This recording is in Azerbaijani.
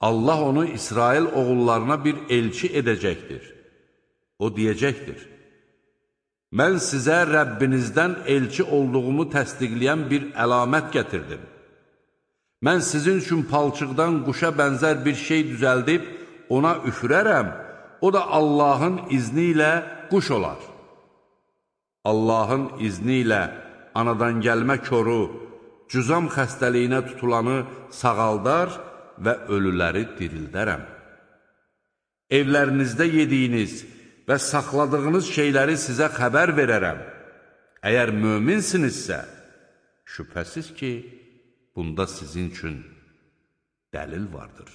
Allah onu İsrail oğullarına bir elçi edəcəkdir. O deyəcəkdir: mən sizə Rəbbinizdən elçi olduğumu təsdiqləyən bir əlamət gətirdim. Mən sizin üçün palçıqdan quşa bənzər bir şey düzəldib, ona üfürərəm, o da Allahın izni ilə quş olar. Allahın izni ilə anadan gəlmə koru, cüzam xəstəliyinə tutulanı sağaldar və ölüləri dirildərəm. Evlərinizdə yediyiniz və saxladığınız şeyləri sizə xəbər verərəm. Əgər möminsinizsə, şübhəsiz ki, bunda sizin üçün dəlil vardır.